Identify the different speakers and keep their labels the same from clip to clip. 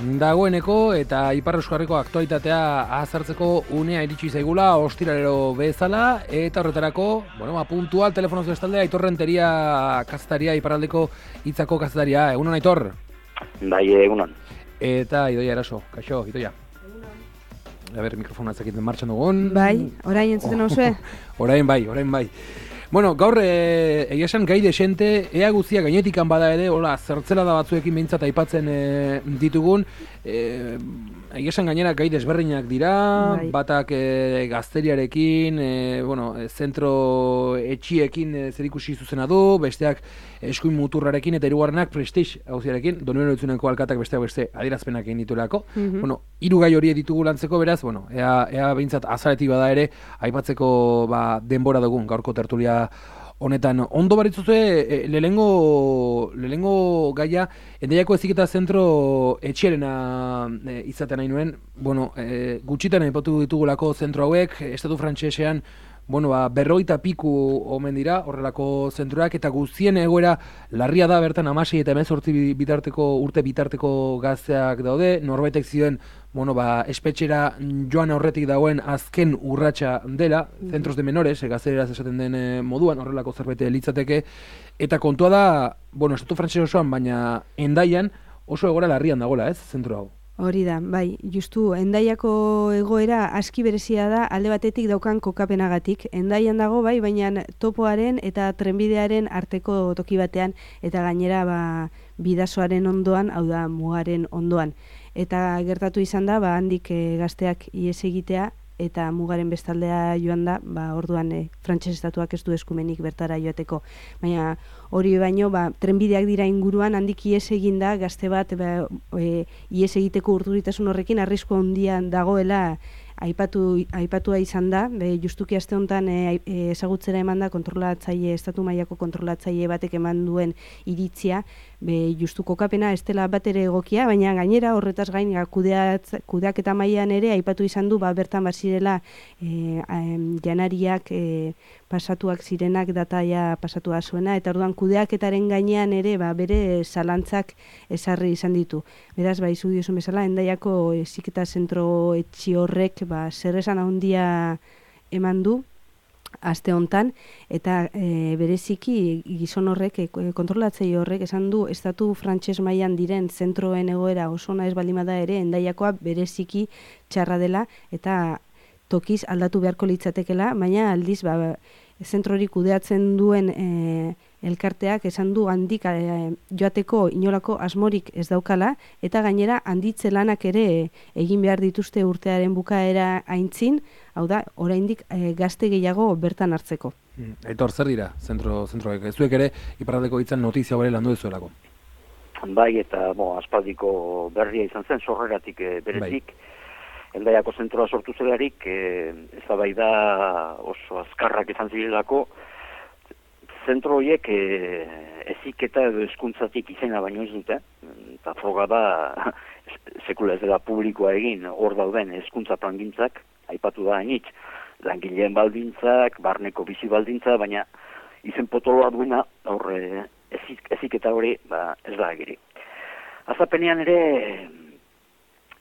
Speaker 1: dagoeneko eta Ipar Euskarriko aktualitatea azartzeko unea iritsi zaigula ostiralero bezala eta horretarako, puntual telefonoz bestalde Aitor Renteria kazetaria, Iparraldeko Hitzako kazetaria. Egunon, Aitor?
Speaker 2: Bai, egunon.
Speaker 1: Eta Idoia Eraso. Kaixo, Idoia. Mikrofona zekiten martxan dugun.
Speaker 3: Bai, orain entzuten hauzue?
Speaker 1: Orain bai. Bueno, gaur egia esan gai desente, ea guztia gainetikan bada ere, zertzela da batzuekin behintzat aipatzen ditugun, egia esan gainera gai desberdinak dira, bai. Batak gazteriarekin, zentro etxiekin zerikusi zuzena du, besteak eskuin muturrarekin eta hirugarrenak Prestige auziarekin, Donibane Lohizuneko alkatak beste adierazpenak egin dituelako. Hiru gai hori ditugu lantzeko, beraz, ea behintzat azaletik bada ere, aipatzeko denbora dugun gaurko tertulia honetan. Ondo baritzuzue, lehengo gaia, Endaiako Heziketa Zentro etxierena izaten nahi nuen, gutxitan aipatu ditugulako zentro hauek, estatu frantsesean, 50 piku omen dira horrelako zentroak, eta guztien egoera larria da bertan 16 eta 18 urte bitarteko gazteak daude, norbaitek zioen espetxera joan aurretik dagoen azken urratsa dela, centros de menores, gaztereraz esaten den moduan, horrelako zerbait litzateke, eta kontua da, estatu frantses osoan, baina Hendaian oso egoera larrian dagoela, ez, zentro hau?
Speaker 3: Hori da, bai, justu, Hendaiako egoera aski berezia da alde batetik daukan kokapenagatik. Hendaian dago, bai, baina topoaren eta trenbidearen arteko toki batean, eta gainera bidasoaren ondoan, hau da, mugaren ondoan. Eta gertatu izan da, handik gazteak ihes egitea, eta mugaren bestaldea joan da, orduan frantses estatuak ez du eskumenik bertara joateko. Baina hori baino, trenbideak dira inguruan, handik ihes egin da, gazte bat ihes egiteko urduritasun horrekin arrisku handian dagoela aipatua izan da, justuki aste honetan ezagutzera eman da estatu mailako kontrolatzaile batek eman duen iritzia, justu kokapena ez dela bat ere egokia, baina gainera horretaz gain kudeaketa mailan ere aipatu izan du bertan bazirela janariak pasatuak zirenak dataia pasatua zuena, eta orduan kudeaketaren gainean ere bere zalantzak ezarri izan ditu. Beraz, izu diozun bezala, Hendaiako Heziketa Zentro etxi horrek zer esan handia eman du aste hontan, eta bereziki gizon horrek, kontrolatzaile horrek esan du estatu frantses mailan diren zentroen egoera oso ona ez baldin bada ere, Hendaiakoa bereziki txarra dela, eta tokiz aldatu beharko litzatekela, baina aldiz zentrori kudeatzen duen elkarteak esan du handik joateko inolako asmorik ez daukala, eta gainera handitze lanak ere egin behar dituzte urtearen bukaera aintzin, hau da, oraindik gazte gehiago bertan hartzeko.
Speaker 1: Aitor, zer dira zentroek? Zuek ere Iparraldeko Hitzan notizia hori landu duzuelako?
Speaker 2: Bai, eta aspaldiko berria izan zen, sorreratik berezik. Hendaiako zentroa sortu zelarik, eztabaida oso azkarrak izan zirelako, zentro horiek heziketa edo hezkuntzatik izena baino ez dute, eta froga da sekula ez dela publikoa egin, hor dauden hezkuntza plangintzak, aipatu da hainitz, langileen baldintzak, barneko bizi baldintza, baina izen potoloa duena, hor heziketa hori ez da agiri. Azapenean ere,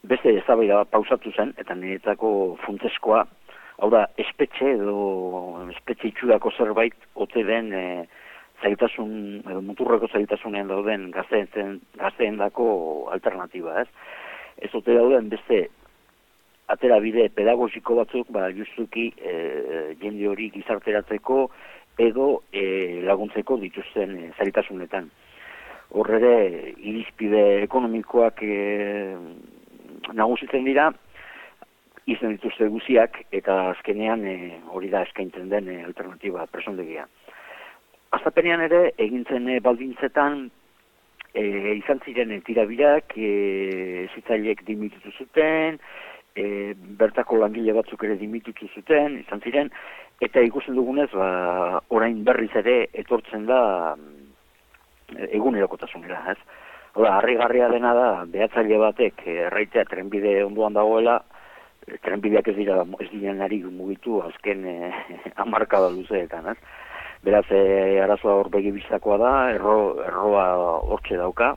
Speaker 2: beste eztabaida pausatu zen, eta niretako funtseskoa, hau da, espetxe itxurako zerbait ote den zailtasun, edo muturreko zailtasunean dauden gazteen dako alternatiba, ez? Ez ote dauden beste atera bide pedagogiko batzuk, justuki jende hori gizarteratzeko edo laguntzeko dituzten zailtasunetan. Horre irizpide ekonomikoak nagusitzen dira, izan dituzte guziak, eta azkenean hori da eskaintzen den alternatiba presondegia. Azapenean ere, egintzen baldintzetan, izan ziren tirabirak, zitzaileek dimitutu zuten, bertako langile batzuk ere dimitutu zuten, izan ziren, eta ikusten dugunez, orain berriz ere etortzen da egunerokotasunera, ez? Hora, harrigarria dena da, behatzaile batek erraitea trenbide ondoan dagoela, trenbideak ez direnari mugitu azken hamarkada luzeetan, ez? Beraz, arazoa hor begibistakoa da, erroa hortxe dauka,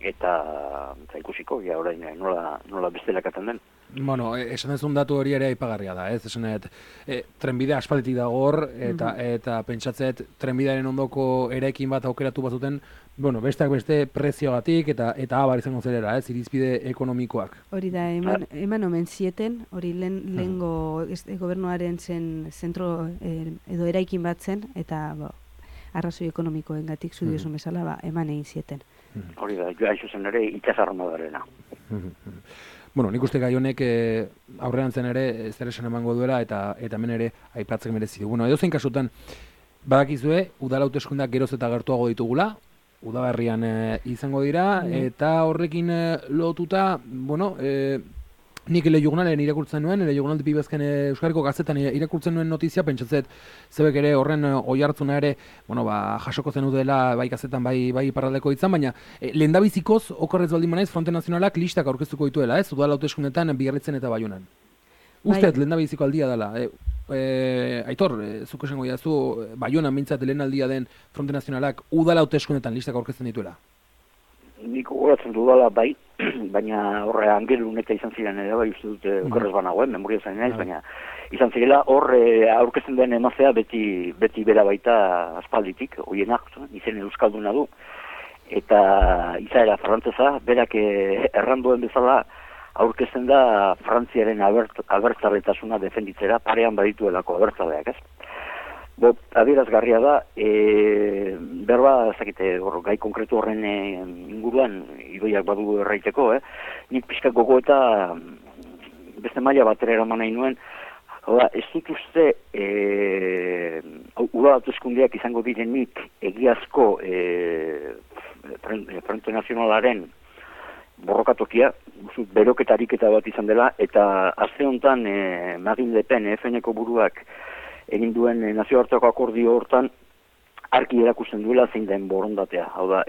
Speaker 2: eta ikusiko, ja orain nola bestelakatzen den.
Speaker 1: Bueno, esan dezun datu hori ere aipagarria da, ez? Esanet, trenbidea aspalditik dago hor, eta pentsatzet trenbidearen ondoko eraikin bat aukeratu bazuten, bueno, besteak beste preziogatik eta abar izango zerera, ez? Irizpide ekonomikoak.
Speaker 3: Hori da, eman omen zieten, hori lehengo gobernuaren zen zentro edo eraikin bat zen, eta arrazoi ekonomikoengatik zu diozun bezala eman egin zieten.
Speaker 2: Hori da, joa izuzen ere itxasarmadarena.
Speaker 1: Bueno, nik uste gai honek aurrean zen ere zer esan emango duela eta hemen ere aipatzek merezi du. Bueno, edozein kasutan badakizue udal hauteskundeak geroz eta gertuago ditugula, udaberrian izango dira eta horrekin lotuta, bueno, nik Elejunalen irakurtzen nuen, Elejunal Pibezken Euskarriko gazetan irakurtzen nuen notizia, pentsatzet zebek ere horren oihartzuna ere, bueno, jasoko zen udela bai gazetan bai iparraldeko hitzan, baina lehendabizikoz okerrez baldin manaiz Fronte Nazionalak listak aurkeztuko dituela, ez? Udal hauteskundetan Biarritzen eta Baionan. Usted lehendabiziko aldia dela. Aitor, zuk esango jazu Baionan mintzat lehen aldia den Fronte Nazionalak udal hauteskundetan listak aurkezten dituela.
Speaker 2: Nik gogoratzen dudala bai, baina horre Angelun eta izan ziren ere bai uste dute okerrez banagoen, memoria zain naiz, baina izan zirela horre aurkezten den emazea beti bera baita aspalditik, hoienak, izen euskalduna du, eta izaera frantzesa, berak erranduen bezala aurkezten da Frantziaren abertzaletasuna defenditzera, parean badituelako abertzaleak, ez? Adierazgarria da, berba, ezakite, gai konkretu horren inguruan, idoiak badu erraiteko, nik pixka gogo eta beste maila batera eraman nahi nuen, ez dut uste, udal hauteskundeak izango direnik egiazko Frente Nazionalaren borrokatokia, beroketarik eta bat izan dela, eta aste honetan Marine Le Pen, FN-eko buruak, egin duen nazioarteko akordio hortan argi erakusten duela zein den borondatea. Hau da,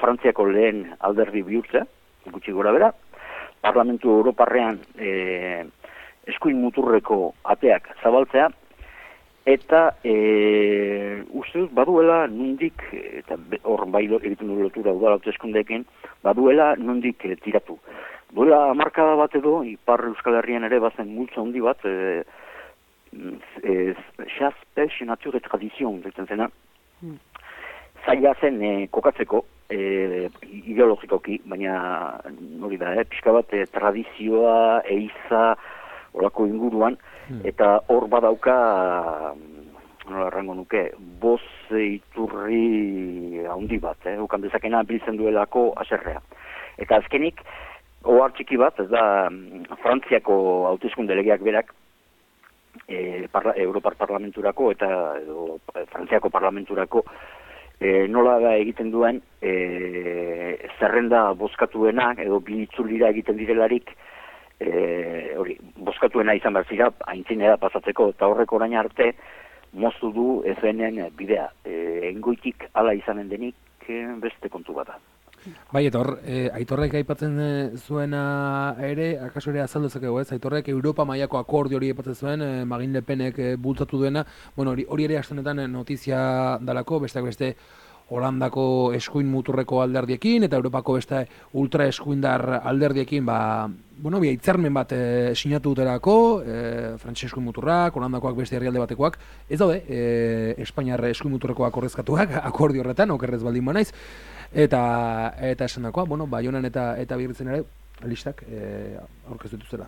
Speaker 2: Frantziako lehen alderdi bihurtzea, gutxi gora bera, Parlamentu Europarrean eskuin muturreko ateak zabaltzea, eta uste dut baduela nondik, eta hor bai egiten du lotura udal hauteskundeekin, baduela nondik tiratu. Duela hamarkada bat edo, Ipar Euskal Herrian ere bazen multzo handi bat, chasse, pêche, nature et tradition, ditzen zena. Zaila zen kokatzeko, ideologikoki, baina hori da, pixka bat tradizioa, eiza, horako inguruan, eta hor badauka, nola errango nuke, boz iturri handi bat, ukan dezakena biltzen duelako aserrea. Eta azkenik, ohar txiki bat, ez da, Frantziako hauteskunde legeak berak, Europar Parlamenturako eta Frantziako Parlamenturako nola da egiten duen zerrenda bozkatuena edo bi itzulira egiten direlarik hori, bozkatuena izan behar zira aintzinera pasatzeko eta horrek orain arte moztu du FN-en bidea. Engoitik hala izanen denik beste kontu bat da.
Speaker 1: Bai, eta hor, Aitorrek aipatzen zuena ere, akaso ere azaldu zakegu, ez? Aitorrek Europa mailako akordio hori aipatzen zuen, Marine Le Penek bultzatu duena, bueno, hori ere astenetan notizia dalako, besteak beste Holandako eskuin muturreko alderdiekin, eta Europako beste ultra eskuindar alderdiekin, bueno, hitzarmen bat sinatu dutelako, Frantses eskuin muturrak, Holandakoak beste herrialde batekoak, ez daude, Espainiar eskuin muturrekoak ordezkatuak, akordio horretan, okerrez baldin banaiz, eta esan dakoa, bueno, Baionan eta Biarritzen ere listak aurkeztu dituztela.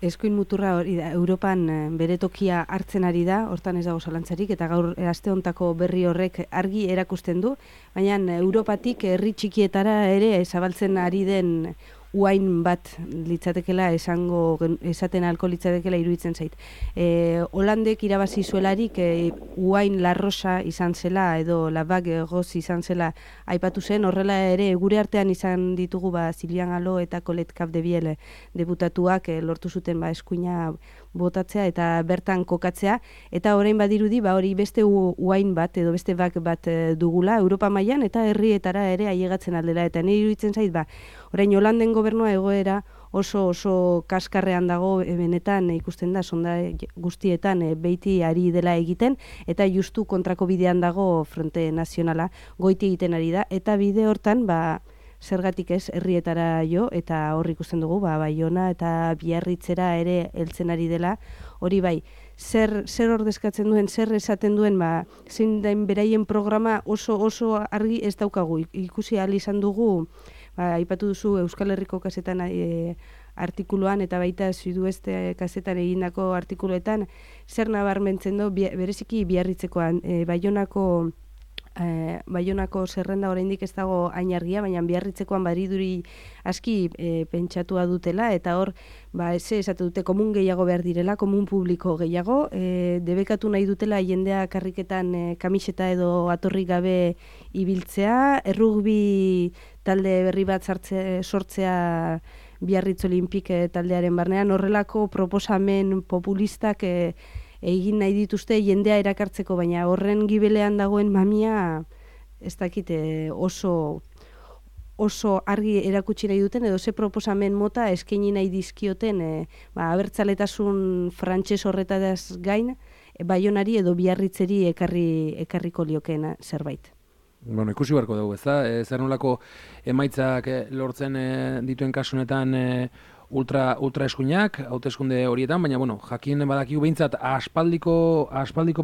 Speaker 3: Eskuin muturra hori da, Europan bere tokia hartzen ari da, hortan ez dago zalantzarik, eta gaur aste hontako berri horrek argi erakusten du, baina Europatik herri txikietara ere zabaltzen ari den uain bat litzatekela esaten alko litzatekela iruditzen zait. Holandek irabazi zuelarik uain La Rosa izan zela edo La Bague Rose izan zela aipatu zen, horrela ere gure artean izan ditugu Sylvian Alo eta Colette Capdevielle deputatuak lortu zuten eskuina botatzea eta bertan kokatzea, eta orain badirudi hori beste uain bat edo beste bak bat dugula Europa mailan eta herrietara ere ailegatzen aldela, eta nire iruditzen zait orain Holanden gobernua egoera oso kaskarrean dago, benetan ikusten da sonda guztietan beiti ari dela egiten, eta justu kontrako bidean dago Fronte Nazionala goiti egiten ari da, eta bide hortan zergatik ez herrietara jo, eta hor ikusten dugu, Baiona eta Biarritzera ere heltzen ari dela, hori bai, zer ordezkatzen duen, zer esaten duen, zein den beraien programa oso argi ez daukagu, ikusi ahal izan dugu, aipatu duzu Euskal Herriko kasetan artikuluan eta baita Sudoeste kasetan egindako artikuluetan, zer nabarmentzen du, bereziki Biarritzekoan, Baionako zerrenda oraindik ez dago hain argia, baina Biarritzekoan bariduri aski pentsatua dutela, eta hor, esatu dute komun gehiago behar direla, komun publiko gehiago, debekatu nahi dutela jendea karriketan kamiseta edo atorri gabe ibiltzea, errugbi talde berri bat sortzea Biarritz Olimpik taldearen barnean, horrelako proposamen populistak egin nahi dituzte jendea erakartzeko, baina horren gibelean dagoen mamia ez dakit oso argi erakutsi nahi duten, edo ze proposamen mota eskaini nahi dizkioten abertzaletasun frantses horretaz gain, Baionari edo Biarritzeri ekarriko liokena zerbait.
Speaker 1: Bueno, ikusi beharko dugu, ez da? Zer nolako emaitzak lortzen dituen kasunetan ultra eskuinak, hauteskunde horietan, baina, bueno, jakin badakigu behintzat aspaldiko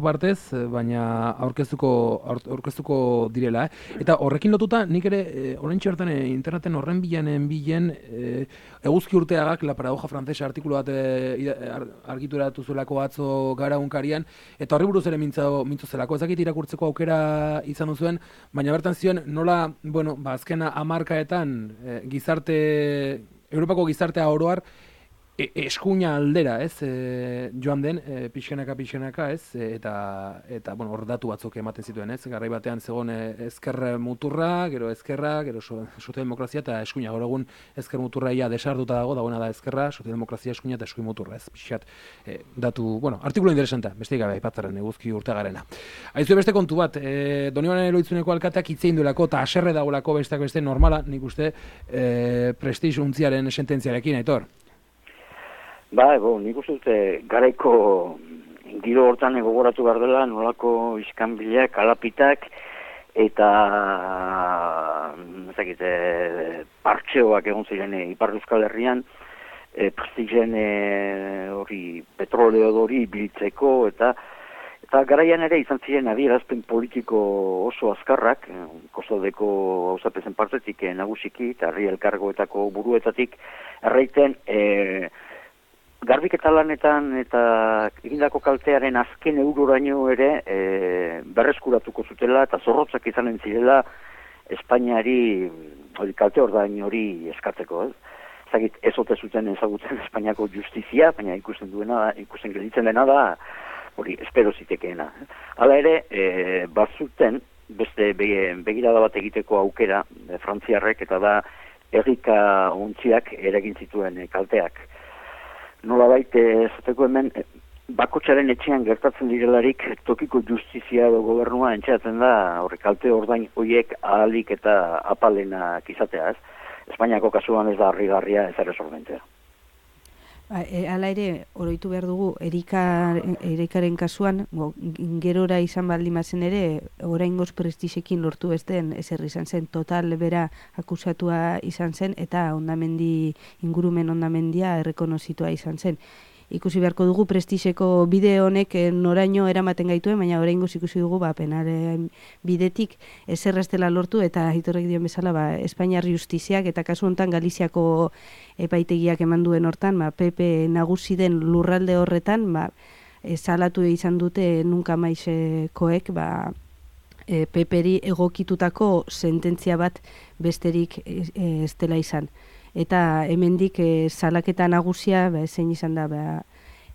Speaker 1: partez, baina aurkeztuko direla, Eta horrekin lotuta, nik ere, oraintxe hartan interneten horren bilen, eguzki urteagak, La Paradoja Francesa artikulu bat argituratu zuelako atzo gara unkarian, eta horri buruz ere mintzo zelako, ezakit irakurtzeko aukera izan duzuen, baina bertan zion, nola, bueno, azkena hamarkaetan Europako gizartea oroar eskuina aldera, joan den, pixkanaka, eta bueno, hor datu batzuk ematen zituen, garai batean zegoen ezker muturra, gero ezkerra, gero sozialdemokrazia eta eskuina, gaur egun ezker muturra ia desarduta dagoena da ezkerra, sozialdemokrazia eskuina eta eskuin muturra, pixkat datu, bueno, artikulu interesanta, besteik gabe aipatzaren eguzki urteagarena. Aizue beste kontu bat, Donibane Eloitzuneko alkateak hitzein duelako eta haserre dagoelako besteak beste normala, nik uste, prestiz untziaren sententziarekin, Aitor.
Speaker 2: Nik uste dute garaiko giro hortan gogoratu behar dela nolako iskanbileak, alapitak eta partxeoak egon ziren Ipar Euskal Herrian prestigen hori petroleo hori biltzeko eta garaian ere izan ziren adierazpen politiko oso azkarrak, Kostaldeko auzapezen partetik nagusiki eta herri elkargoetako buruetatik erraiten garbiketa lanetan eta egindako kaltearen azken euroraino ere berreskuratuko zutela eta zorrotzak izanen zirela Espainiari kalte ordain hori eskatzeko. Ez ote zuten ezagutzen Espainiako justizia, baina ikusten gelditzen dena da hori espero zitekeena. Hala ere, bazuten beste begirada bat egiteko aukera frantziarrek eta da errika ontziak eragin zituen kalteak. Nolabait esateko hemen bakotxaren etxean gertatzen direlarik tokiko justizia edo gobernua entxeatzen da kalte ordain horiek ahalik eta apalenak izatea, Espainiako kasuan ez da harrigarria ez ere sormentea.
Speaker 3: Hala ere, oroitu behar dugu, Erikaren kasuan, gerora izan baldimazen ere, oraingoz prestizekin lortu ez den ezer izan zen, total bera akusatua izan zen, eta ingurumen ondamendia errekonozitua izan zen. Ikusi beharko dugu prestizeko bide honek noraino eramaten gaituen, baina oraingoz ikusi dugu penalen bidetik ezer ez dela lortu eta Aitorrek dion bezala Espainiar justiziak eta kasu honetan Galiziako epaitegiak eman duen hortan, PP nagusi den lurralde horretan, salatu izan dute nunca maisekoek, PP-ri egokitutako sententzia bat besterik ez dela izan. Eta hemendik salaketa nagusia zein izan da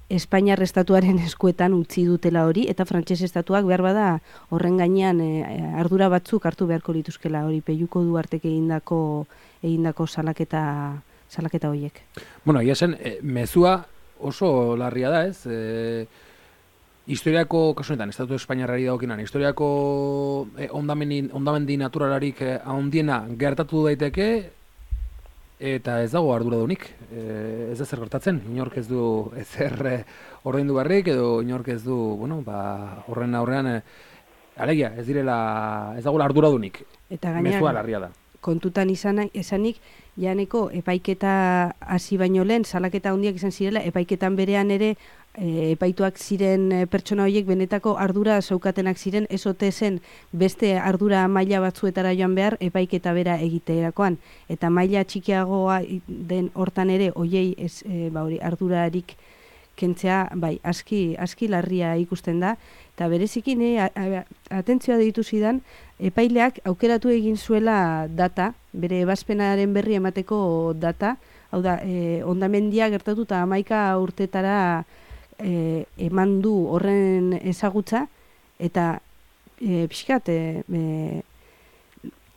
Speaker 3: Espainiar estatuaren eskuetan utzi dutela hori, eta frantses estatuak behar bada horren gainean ardura batzuk hartu beharko lituzkela hori Pelluko Duartek egindako salaketa horiek.
Speaker 1: Bueno, ia zen, mezua oso larria da, historiako, kasunetan, Estatu Espainiarrari dagokinan, historiako ondamendi naturalarik handiena gertatu daiteke, eta ez dago arduradunik, ez da zer gertatzen, inork ez du ezer ordaindu barrik, edo inork ez du, horren aurrean, alegia, ez dago arduradunik, mezua larria da.
Speaker 3: kontutan esanik, janeko epaiketa hasi baino lehen, salaketa handiak izan zirela, epaiketan berean ere epaituak ziren pertsona horiek benetako ardura zeukatenak ziren, ez ote zen beste ardura maila batzuetara joan behar epaiketa bera egiterakoan. Eta maila txikiagoa den hortan ere, hoiei ardurarik kentzea, bai, aski larria ikusten da, eta berezikin, atentzioa deitu zidan, epaileak aukeratu egin zuela data, bere ebazpenaren berri emateko data, hau da, hondamendia gertatu eta 11 urtetara eman du horren ezagutza, eta pixkat,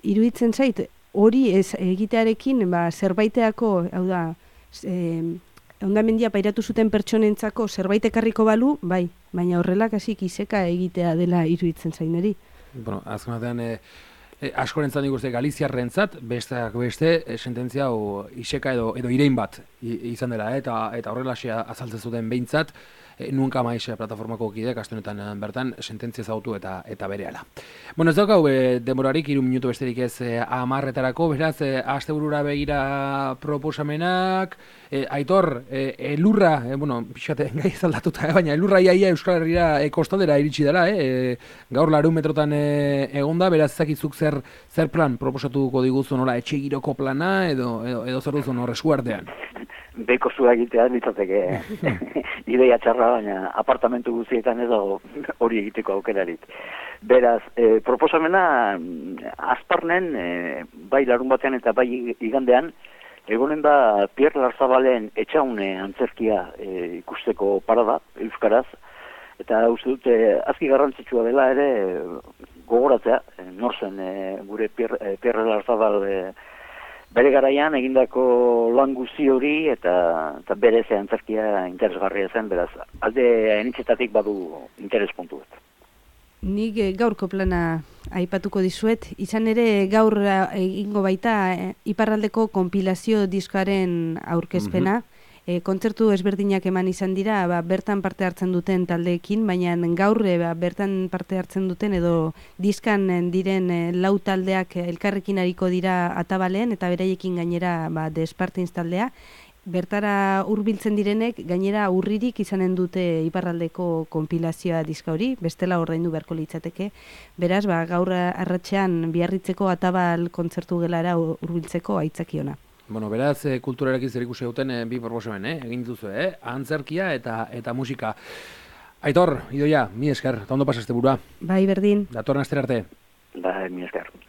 Speaker 3: iruditzen zait, hori ez egitearekin, zerbaiteako, hau da, hondamendia pairatu zuten pertsonentzako zerbait ekarriko balu, bai, baina horrelak hasik iseka egitea dela iruditzen zaineri.
Speaker 1: Bueno, azken batean, askorentzat nik uste Galiziarrentzat, besteak beste, sententzia iseka edo irein bat izan dela, eta horrelaxea azaltzen zuten behintzat, Nunca Mais plataformako kideak aste honetan bertan sententzia ezagutu eta berehala. Bueno, ez daukau denborarik 3 minutu besterik ez 10etarako, beraz asteburura begira proposamenak, Aitor, elurra, bueno, pixate gai aldatuta, baina elurra iaia Euskal Herrira kostaldera iritsi dela, gaur 200 metrotan egonda, beraz ezakizuk zer plan proposatuko diguzu, nola etxe giroko plana edo zer duzu hor eskuartean.
Speaker 2: Beko zua egitea litzateke ideia txarra, baina apartamentu guztietan edo hori egiteko aukerarik. Beraz, proposamena azparnen, bai larun batean eta bai igandean, egonen da Pierre Larzabalen etxaune antzerkia ikusteko parada, euskaraz, eta uste dute azki garrantzitsua dela ere gogoratzea, nor zen gure Pierre Larzabal bere garaian egindako lan guzti hori eta bere ze antzerkia interesgarria zen, beraz, alde enitzetatik badu interes puntu bat.
Speaker 3: Nik gaurko plana aipatuko dizuet, izan ere gaur egingo baita iparraldeko konpilazio diskoaren aurkezpena, kontzertu ezberdinak eman izan dira, bertan parte hartzen duten taldeekin, baina gaur bertan parte hartzen duten edo diskan diren 4 taldeak elkarrekin ariko dira atabalean eta beraiekin gainera The Spartans taldea. Bertara hurbiltzen direnek gainera urririk izanen dute iparraldeko konpilazioa diska hori, bestela ordaindu beharko litzateke. Beraz, gaur arratsean Biarritzeko atabal kontzertu gelara hurbiltzeko aitzakiona.
Speaker 1: Bueno, beraz, kulturarekin zer ikusi duten bi proposamen, egin duzu, antzerkia eta musika. Aitor, Idoia, mi esker, eta ondo pasaste burua.
Speaker 3: Bai, berdin.
Speaker 1: Datorren astera arte.
Speaker 2: Bai, mi esker.